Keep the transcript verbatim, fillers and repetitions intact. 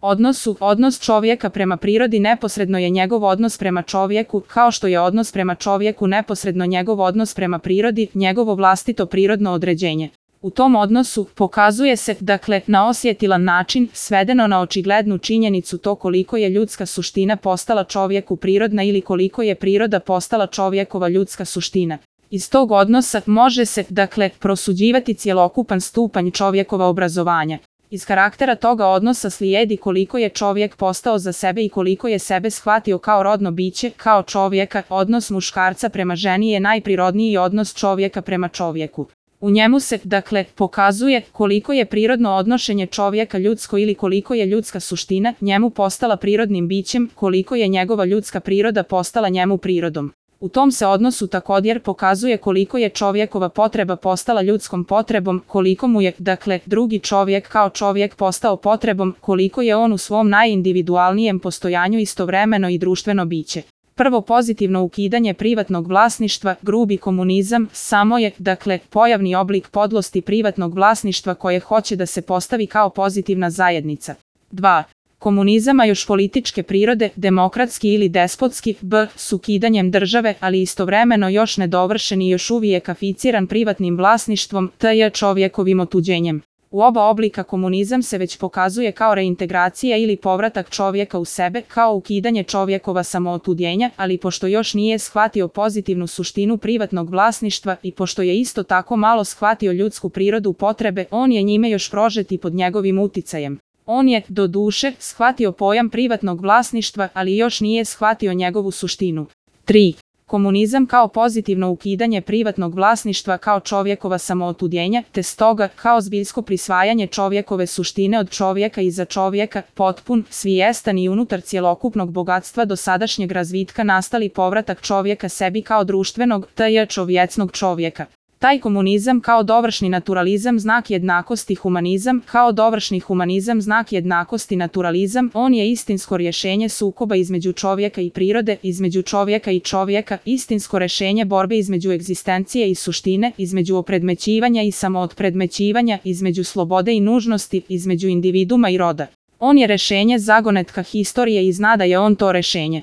odnosu. Odnos čovjeka prema prirodi neposredno je njegov odnos prema čovjeku, kao što je odnos prema čovjeku neposredno njegov odnos prema prirodi, njegovo vlastito prirodno određenje. U tom odnosu pokazuje se, dakle, na osjetilan način, svedeno na očiglednu činjenicu to koliko je ljudska suština postala čovjeku prirodna ili koliko je priroda postala čovjekova ljudska suština. Iz tog odnosa može se, dakle, prosuđivati cjelokupan stupanj čovjekova obrazovanja. Iz karaktera toga odnosa slijedi koliko je čovjek postao za sebe i koliko je sebe shvatio kao rodno biće, kao čovjeka. Odnos muškarca prema ženi je najprirodniji odnos čovjeka prema čovjeku. U njemu se, dakle, pokazuje koliko je prirodno odnošenje čovjeka ljudsko ili koliko je ljudska suština njemu postala prirodnim bićem, koliko je njegova ljudska priroda postala njemu prirodom. U tom se odnosu također pokazuje koliko je čovjekova potreba postala ljudskom potrebom, koliko mu je, dakle, drugi čovjek kao čovjek postao potrebom, koliko je on u svom najindividualnijem postojanju istovremeno i društveno biće. Prvo pozitivno ukidanje privatnog vlasništva, grubi komunizam, samo je, dakle, pojavni oblik podlosti privatnog vlasništva koje hoće da se postavi kao pozitivna zajednica. dva. Komunizam, a još političke prirode, demokratski ili despotski, b. s ukidanjem države, ali istovremeno još nedovršen i još uvijek aficiran privatnim vlasništvom, tj. čovjekovim otuđenjem. U oba oblika komunizam se već pokazuje kao reintegracija ili povratak čovjeka u sebe, kao ukidanje čovjekova samootuđenja, ali pošto još nije shvatio pozitivnu suštinu privatnog vlasništva i pošto je isto tako malo shvatio ljudsku prirodu potrebe, on je njime još prožet i pod njegovim uticajem. On je, do duše, shvatio pojam privatnog vlasništva, ali još nije shvatio njegovu suštinu. tri. Komunizam kao pozitivno ukidanje privatnog vlasništva kao čovjekova samootuđenja, te stoga kao zbiljsko prisvajanje čovjekove suštine od čovjeka i za čovjeka, potpun, svijestan i unutar cjelokupnog bogatstva dosadašnjeg razvitka nastali povratak čovjeka sebi kao društvenog, tj. čovjecnog čovjeka. Taj komunizam kao dovršni naturalizam znak jednakosti humanizam, kao dovršni humanizam znak jednakosti naturalizam, on je istinsko rješenje sukoba između čovjeka i prirode, između čovjeka i čovjeka, istinsko rješenje borbe između egzistencije i suštine, između opredmećivanja i samootpredmećivanja, između slobode i nužnosti, između individuma i roda. On je rješenje zagonetka historije i zna da je on to rješenje.